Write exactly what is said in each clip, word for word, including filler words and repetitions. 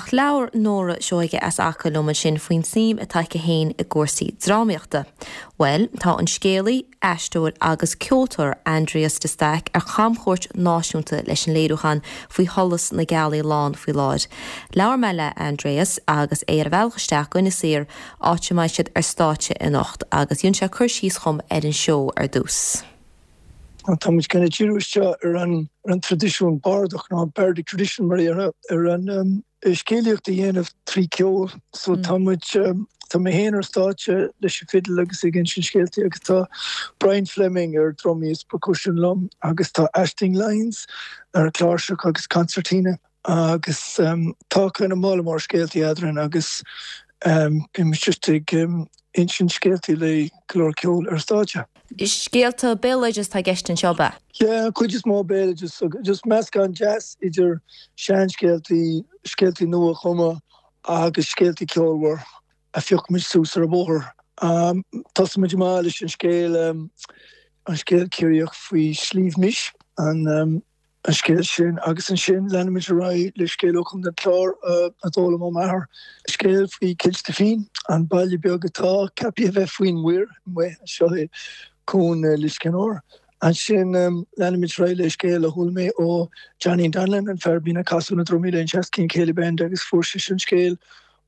Ach labhair Nóra Seoige as Acaill liom ansin faoin suim atá aici féin i gcúrsaí drámaíochta. Well, tá an scéalaí, aisteoir agus ceoltóir Aindrias de Staic ar chamchuairt náisiúnta leis an léiriúchán faoi sholas na gealaí lán faoi láthair. Labhair mé le Aindrias agus é ar a bhealach isteach go Inis Oírr áit a mbeidh siad ar stáitse anocht agus dhein sé cur síos dhom ar an seó ar dtús. Tá muid kind of díriú isteach ar an ar an traidisiún bardach nó bardic tradition mar ar ar an um, scéalaíocht a dhéanamh trí ceol so mm. tá muid um, tá mé féin ar stáitse leis an fiddle agus ag insint scéalta agus tá Brian Fleming ar drumaí is percussion liom agus tá Aisling Lyons ar cláirseach agus concertina agus um, tá kind of mála mór scéalta eadrainn agus um, bím just ag um, insint scéalta le go leor ceol ar stáitse. Scéalta béaloideas atá i gceist anseo ab ea? Yeah, cuid is mó béaloideas just meascán deas idir seanscéaltaí scéaltaí nua-chumtha agus scéaltaí ceolmhar a phioc muid suas ar an bhóthar. Um, Tosaímid amach leis an scéal um, an scéal Ciarraíoch faoi Sliabh Mis an um, an scéal sin agus ansin leanaimid ar aghaidh le scéal ó Chontae an Chláir uh, a d'fhoghlaim ó m'athair. Scéal faoi Cill Stifín an baile beag atá ceaptha a bheith faoin muir mu seo é cuan uh, Liscannor. Ansin um, leanaimid ar aghaidh le scéal a chuala mé ó Johnny Donlan an fear a bhíonn ag casadh na drumaí le an Shaskeen Céilí Band agus fuair sé an scéal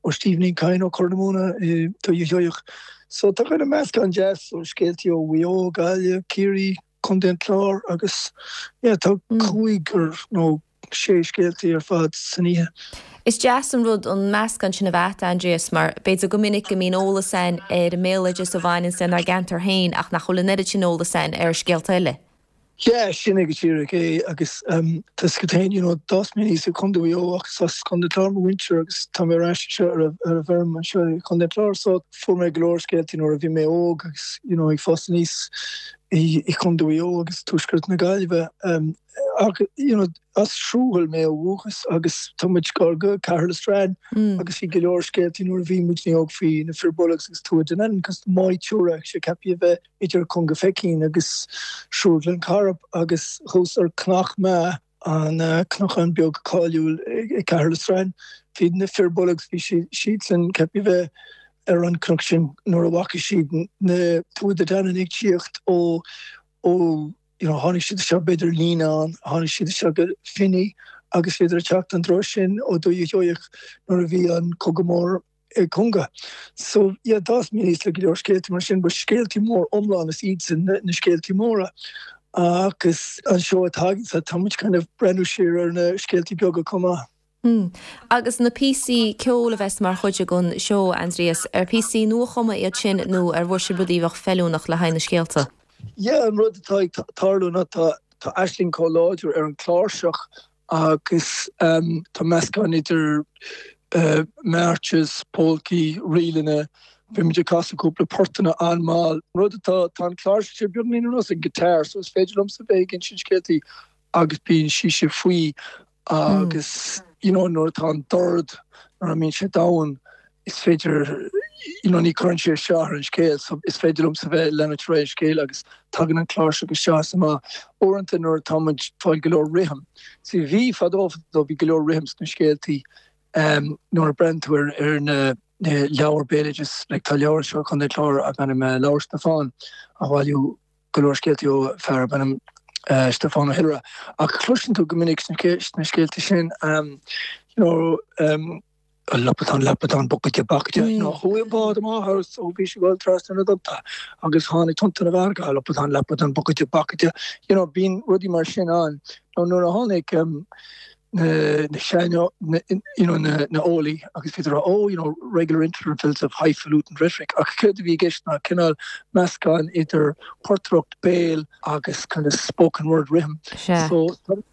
ó Stephen Kain ó Cornamona do Sheoigheach. So tá kind of meascán deas ó scéaltaí ó Mhaigh Eo, Gaillimh, Ciarraí, Contae an Chláir agus yeah, tá cúigear nó sé scéaltaí ar fad san oíche. Is deas an rud an meascán sin a bheith Aindrias mar b'fhéidir go minic go mbíonn eolas againn ar an mbéaloideas a bhaineann lenár gceantar féin ach nach bhfuil an oiread sin eolas againn ar scéalta eile. Yeah, sin é go díreach é agus um, tá go tain you know, d'fhás mé aníos i Contae Mhaigh Eo agus as Contae an Chláir mo mhuintir agus tá mé ar ais seo ar ar an bhfeirm anseo i Contae an Chláir so fuair mé go leor scéaltaí nuair a bhí mé óg agus you know, ag fás aníos i, i Contae Mhaigh Eo agus tuaisceart na Gaillimhe um, ach you know, as Srúthal mé ó dhúchas agus tá muid gar go Caherlistrane mm. agus bhí go leor scéaltaí nuair a bhí muid óg faoi na Fir Bolg agus Tuatha Dé Danann cos Maigh Tuathair sé ceaptha a bheith idir Cúnga Feichín agus Srúth Ghleann Cairb agus thuas ar Cnoc Meá an uh, cnocán beag cáiliúil i Caherlistrane. Bhí na Fir Bolg bhí siadsan ceaptha a bheith ar an cnoc sin nuair a bhfaca siad na Tuatha Dé Danann ag tíocht ó ó you know, tháinig siad seo b'fhéidir líne an tháinig siad seo go Finney agus féidir teacht an dro sin ó dúí sheoach nuair a bhí an cogadh mór ag Cúnga. So yeah, d'fhás mé aníos le go leor scéaltaí mar sin, ba scéaltaí mór iomlán is iad sin na, na scéaltaí móra. Agus an seó atá againn tá muid kind of breathnú siar ar na scéaltaí beaga chomh maith. Hmm. Agus na píosaí ceoil a bheas mar chuid den seó Aindrias ar píosaí nuachumtha iad sin nó ar bhfuair sibh rudaí a bheadh feiliúnach le haghaidh na scéalta. Yeah, an rud atá ag tarlú ná tá tá Aisling chomh láidir ar an cláirseach agus um, tá meascán idir uh, marches, polcaí, ríleanna, Bhí muid ag casadh cúpla portanna an-mhall. Rud atá tá an cláirseach sé beagáinín ar nós an guitar, so is féidir liomsa bheith ag insint scéaltaí agus bíonn sí sé faoi agus you know, nuair atá an dord nuair a mbíonn sé domhain is féidir you know, ní chuireann sé isteach ar an scéal, so is féidir liomsa bheith lena tré scéal agus tagann an cláirseach isteach amach. Uaireanta nuair atá muid fáil go leor rithim. Si bhí fadó fadó bhí go leor rithim sna scéaltaí um, nuair a breathnaíonn tú ar, ar na na leabhair béaloideas like, tá leabhar seo chun clár a gan me leabhar Stiofán a bhailiú go leor scéaltaí ó fear b'ainm uh, Stiofán Ó hIollaire ach cloiseann tú go minic sna sna scéalta sin um, you know, um, lapatán lapatán bucaide bacaide mm. no chuaigh bád amach agus ó bhí sé ag dul trasna na dtonnta agus tháinig tonnta na bhfarga lapatán lapatán bucaide bacaide you know bíonn rudaí mar sin ann nó nuair a tháinig um, na na sean you know na na eolaí agus féidir oh you know regular intervals of highfalutin rhetoric ach céard a bhí i gceist ná cineál meascán idir portaireacht béil agus kind of spoken word rhythm so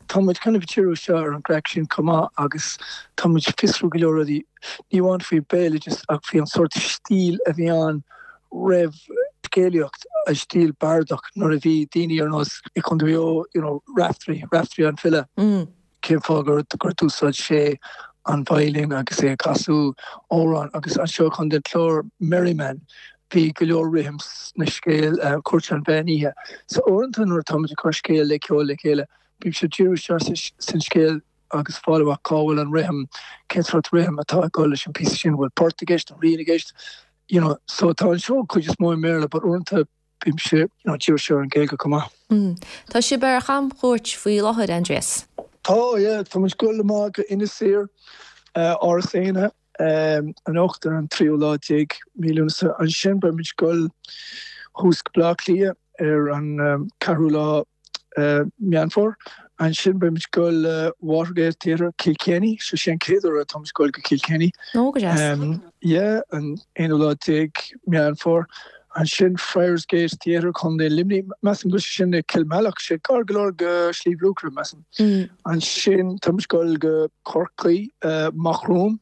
tá muid kind of díriú seo ar an gcraic sin chomh maith agus tá muid fiosrú go leor rudaí ní amháin faoi béaloideas ach faoi an sórt stíl a bhí ann roimh scéalaíocht a stíl bardach nuair a bhí daoine ar nós i Contae you know Raftery Raftery an file. Mm. cén fáth gur gur d'úsáid sé an veidhlín agus é ag casadh amhrán agus anseo chun den chlár Merryman bhí go leor rithim na scéal uh, Cúirt an Mheán Oíche. So uaireanta nuair atá muid ag cur scéal le ceol le chéile, bíonn sé díriú san scéal agus fáil amach cá bhfuil an rithim, cén sórt rithim atá ag dul leis an píosa sin, bhfuil port i gceist, an ríl i gceist, you know, so tá an seó cuid is mó i mBéarla, but uaireanta bímse, you know, d'iarr ar an Ghaeilge chomh maith. Mm. Tá sibh ar chamchuairt faoi láthair Aindrias. Tá yeah, tá muid ag dul amach go Inis Oírr uh, Áras Éanna um, anocht ar an tríú lá déag mí Lúnasa ansin beidh muid ag dul thuas go Bleá Cliath ar an um, ceathrú lá uh, Meán Fómhair. Ansin beidh muid ag dul uh, Watergate Theatre Kilkenny, so sin chéad uair atá muid ag dul go Kilkenny. Ó go deas. Um, yeah, an aonú lá déag Meán Fómhair. Ansin Friars Gate Theatre Contae Luimnigh measaim go sin i Kilmallock sé gar go leor go Sliabh Luachra measaim. Mm. Ansin tá muid ag dul go Corcaigh uh, Macroom.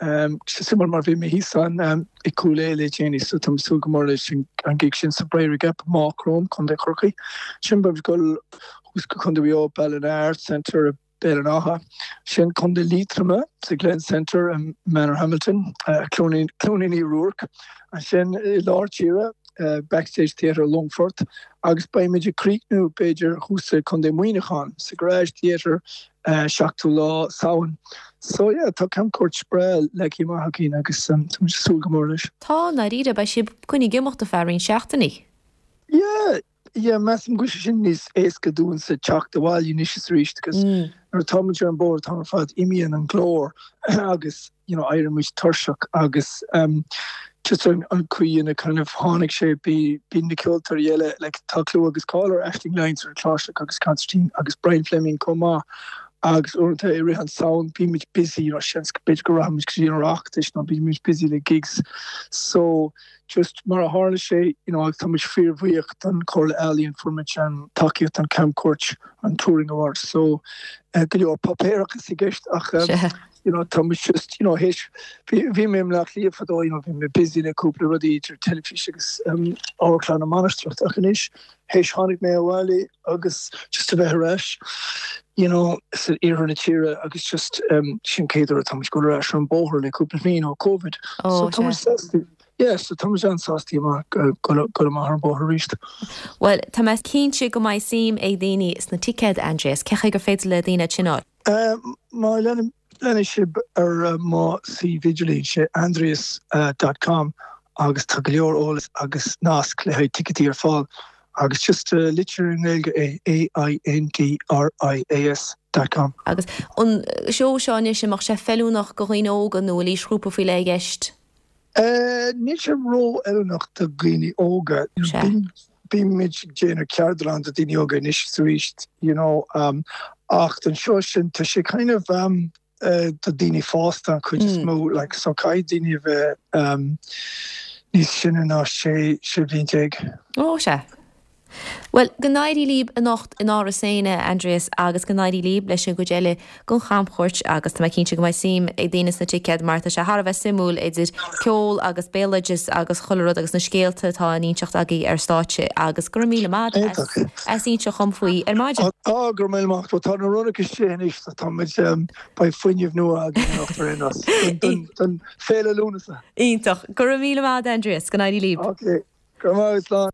Um, simul mar bhí mé thíos ann um, i Cúil Aodha le déanaí so tá súil go mór leis an an gig sin sa Briery Gap Macroom Contae Chorcaí. Sin beidh muid ag dul thuas go Contae Mhaigh Eo Ballina Arts Centre Béal an Átha. Sin Contae Liatroma sa Glen Centre in Manor Hamilton, uh, Cluain Uí Ruairc. Ansin i lár tíre uh, Backstage Theatre Longfort agus beimid ag críochnú b'fhéidir thuas i Contae Mhuineacháin sa Garage Theatre uh, seachtú lá Samhain. So yeah, tá camchuairt breá leagtha amach againn agus um, tá súil go mór leis. Tá dáiríre beidh sibh chun ag imeacht ar feadh roinnt seachtainí. Yeah, yeah, measaim go sin níos éasca dúinn sa teacht abhaile anois is arís agus Mm. nuair atá muid ar an bóthar tá ar fad imíonn an glór agus you know, éiríonn muid tuirseach agus um, just an, an chaoi ina kind of tháinig sé bí bí na ceoltóirí eile like, tá clú agus cáil ar Aisling Lyons ar cláirseach agus concertina agus Brian Fleming chomh maith agus uaireanta i rith an tsamhraidh bímid busy you know, seans b'fhéidir go rachaimid go dtí an Oireachtas nó bímid busy le gigs so just mar a tharla sé you know, agus tá muid fíorbhuíoch don Chomhairle Ealaíon fuair muid an tacaíocht an camchuairt an Touring Award so uh, go leor páipéarachas i gceist ach um, Se. you know, tá muid just you know, théis bhí mé le lí fadó you know, bhí mé busy le cúpla rudaí idir teilifís agus um, Amharclann na Mainistreach ach anois théis tháinig mé abhaile agus just a bheith ar ais you know, san iarthar na tíre agus just um, sin chéad uair atá muid ag dul ar ais ar an bóthar le cúpla bliain ó COVID. Ó so tá se. sásta Yes, so tá an-sásta go go amach ar an bóthar arís. Well, tá mé cinnte go mbeidh suim ag daoine sna ticéid Aindrias, cén chaoi gur féidir le daoine sin a fháil. Uh, má lean leanann sibh ar uh, mo suíomh idirlín sé aindrias.com agus tá go leor eolas agus nasc le haghaidh ticéidí ar fáil agus just uh, litir i nGaeilge é A I N D R I A S dot com. Agus an seó seo anois an mbeadh sé feiliúnach do dhaoine óga nó aoisghrúpa faoi leith i gceist. Uh, Níl sé ró-fheiliúnach do dhaoine óga. Se. Bímid ag déanamh ceardlann do daoine óga anois arís, you know, um, ach den seo sin tá sé kind of um, uh, do daoine fásta an chuid is Mm. mó like, so caithfidh daoine a bheith um, níos sine ná sé sé bliain déag. Ó se. Well, go n-éirí libh anocht in Áras Éanna Aindrias agus go n-éirí libh leis an gcuid eile den chamchuairt agus tá mé cinnte go mbeidh suim ag daoine sna ticéid mar tá sé thar a bheith suimiúil idir ceol agus béaloideas agus chuile rud agus na scéalta atá á n-inseacht agaibh ar stáitse agus go raibh míle maith Iontach. as inseacht dom faoi ar maidin. Á go raibh míle maith tá na ronna sé anois tá muid um, beidh fuinneamh nua againn anocht ar aon nós don don féile Lúnasa. Iontach go raibh míle maith Aindrias go n-éirí libh. Ok, go maith slán.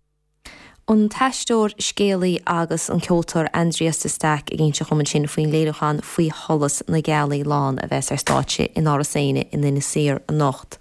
An t-aisteoir scéalaí agus an ceoltóir Aindrias de Staic ag inseacht dom ansin faoin léiriúchán faoi sholas na gealaí lán a bheas ar stáitse in Áras Éanna in Inis Oírr anocht.